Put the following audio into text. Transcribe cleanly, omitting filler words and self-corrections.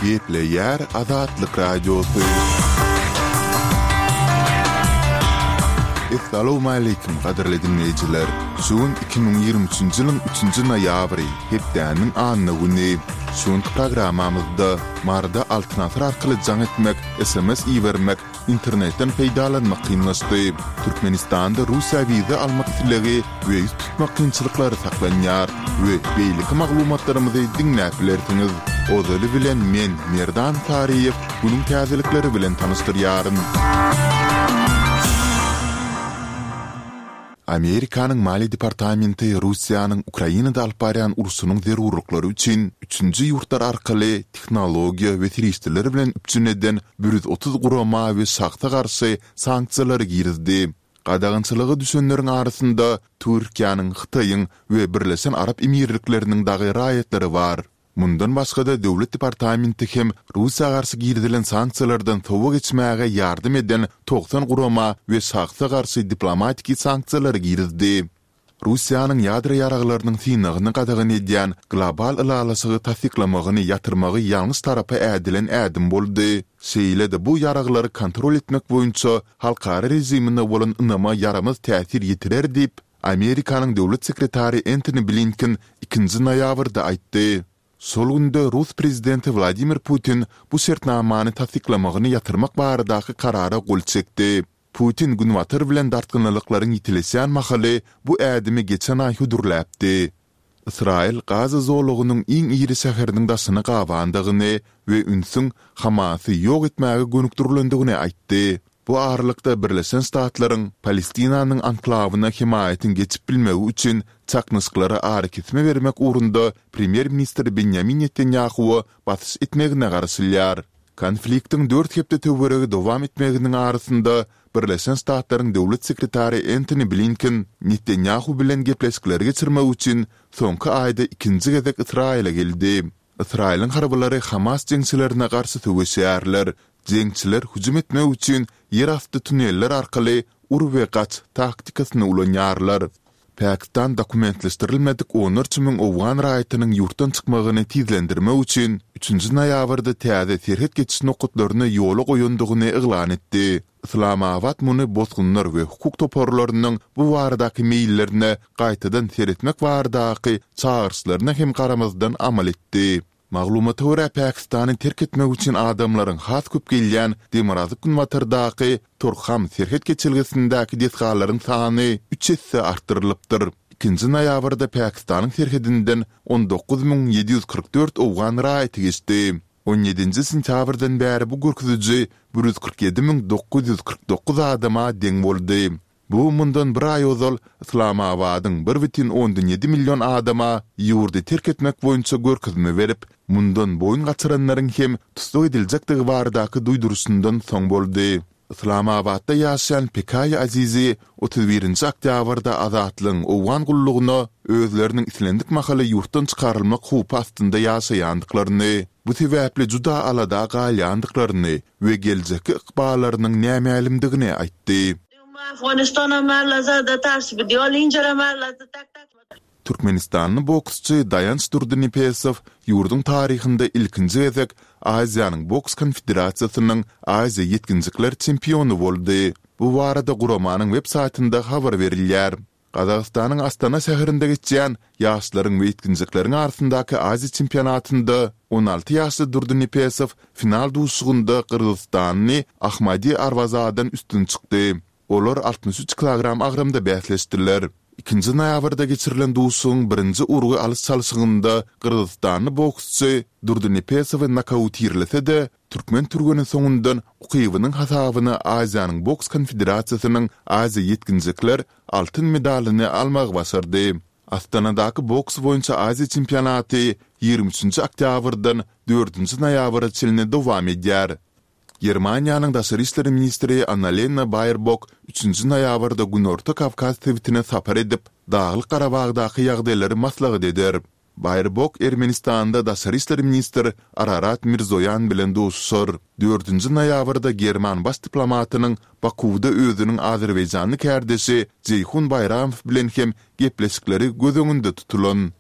Gepleýär Azatlyk Radiosy. Essalawmaleýkim gadyrly diňleýjiler! Şu gün 2023-nji ýylyň üçünji noýabry, hepdäniň anna güni. Şu günki programmamyzda Maryda Altyn asyr arkaly jaň etmek, sms ibermek, Internetden peýdalanmak kynlaşdy. Türkmenistanda Russiýa wiza almak islegi we ýüz tutmak kynçylyklary saklanýar we beýleki maglumatlarymyzy diňläp bilersiňiz. Ozaly bilen men, Merdan Saryýew, günüň täzelikleri bilen tanyşdyrýaryn. Amerikanyň Maliýe departamenti Russiýanyň Ukrainada alyp barýan urşunyň zerurlyklary üçin üçünji ýurtlar arkaly tehnologiýa we serişdeler bilen üpjün eden 130 gurama we şahsa garşy sanksiýalary girizdi. Gadagançylyga düşenleriň arasynda Türkiýäniň, Hytaýyň we Birleşen Arap Emirlikleriniň dagy raýatlary bar. Mundan başga-da, Döwlet departamenti hem Russiýa garşy girizilen sanksiýalardan sowa geçmäge ýardam eden 90 gurama we şahsa garşy diplomatiki sanksiýalary girizdi. Russiýanyň ýadro ýaraglarynyň synagyny gadagan edýän global ylalaşygy tassyklamagyny ýatyrmagy ýalňyş tarapa ädilen ädim boldy, şeýle-de bu ýaraglary kontrol etmek boýunça halkara režimine bolan ynama ýaramaz täsir ýetirer diýip, Amerikanyň döwlet sekretary Entoni Blinken ikinji noýabrda aýtdy. Şol günde rus prezidenti Wladimir Putin bu şertnamany tassyklamagyny ýatyrmak baradaky karara gol çekdi. Putin Günbatar bilen dartgynlylyklaryň ýitileşýän mahaly bu ädimi geçen aý hödürläpdi. Ysraýyl Gaza zolagynyň iň iri şäheriniň daşyny gabandygyny we ünsüň Hamasy ýok etmäge gönükdirilendigini aýtdy. Bu aralykda Birleşen Ştatlaryň Palestinanyň anklawyna hemaýatyň geçip bilmegi üçin çaknyşyklara arakesme bermek ugrunda premýer-ministr Benýamin Netanýahuwa basyş etmegine garaşylýar. Konfliktiň dört hepde töweregi dowam etmeginiň arasynda Birleşen Ştatlaryň döwlet sekretary Entoni Blinken Netanýahu bilen gepleşikleri geçirmek üçin soňky aýda ikinji gezek Ysraýyla geldi. Ysraýylyň harbylary Hamas jeňçilerine garşy söweşýärler. Jeňçiler hüjüm etmek üçin ýerasty tuneller arkaly ur we gaç taktikasyny ulanýarlar. Pakistan dokumentleşdirilmedik onlarça müň owgan raýatynyň ýurtdan çykmagyny tizlendirmek üçin üçünji noýabrda täze serhet geçiş nokatlaryny ýola goýandygyny yglan etdi. Yslamabat muny bosgunlar we hukuk toparlarynyň bu baradaky meýillerine gaýtadan seretmek baradaky çagyryşlaryna hem garamazdan amal etdi. Maglumata görä, Pakistany terk etmek üçin adamlaryň has köp gelýän demirgazyk-günbatardaky Torkham serhet geçelgesindäki desgalaryň sany üç esse artdyrylypdyr. Ikinji noýabrda Pakistanyň serhedinden 19 744 owgan raýaty geçdi. On ýedinji sentýabrdan bäri bu görkeziji 147 949 adama deň boldy. Bu mundan bir aý ozal Yslamabadyň bir bütin ondan ýedi million adama ýurdy terk etmek boýunça görkezme berip, mundan boýun gaçyranlaryň hem tussag ediljekdigi baradaky duýduryşyndan soň boldy. Yslamabatda ýaşaýan Pekaý Azizi 31-nji oktýabrda Azatlygyň Owgan gullugyna özleriniň islendik mahaly ýurtdan çykarylmak howpy astynda ýaşaýandyklaryny, bu sebäpli juda alada galýandyklaryny we geljekki ykballarynyň nämälimdigini aýtdy. Türkmenistanly boksçy Daýanç Durdynepesow ýurduň taryhynda ilkinji gezek Aziýanyň boks konfederasiýasynyň Aziýa ýetginjekler çempiony boldy. Bu barada guramanyň web saýtynda habar berilýär. Gazagystanyň Astana şäherinde geçýän ýaşlaryň we ýetginjekleriň arasyndaky Aziýa çempionatynda 16 ýaşly Durdynepesow final duşuşygynda gyrgyzystanly Ahmadi Arwazadan üstün çykdy. Olar 63 kilogram agramda bäsleşdiler. Ikinji noýabrda geçirilen duşuşygyň birinji urgy alyş-çalşygynda gyrgyzystanly boksçy Durdynepesowy nokautirlese-de, türkmen türgeni soňundan ukybynyň hasabyna Aziýanyň boks konfederasiýasynyň Aziýa ýetginjekler altyn medalyny almagy başardy. Astanadaky boks boýunça Aziýa çempionaty 23-nji oktýabrdan dördünji noýabra çenli dowam edýär. Germaniýanyň daşary işler ministri Annalena Baerbok üçünji noýabrda Günorta Kawkaz sebitine sapar edip, Daglyk-Garabagdaky ýagdaýlary maslahat eder. Baerbok Ermenistanda daşary işler ministr Ararat Mirzoýan bilen duşuşar. Dördünji noýabrda german baş diplomatynyň Bakuwda özüniň azerbaýjanly kärdeşi Jeýhun Baýramow bilen hem gepleşikleri göz öňünde tutulan.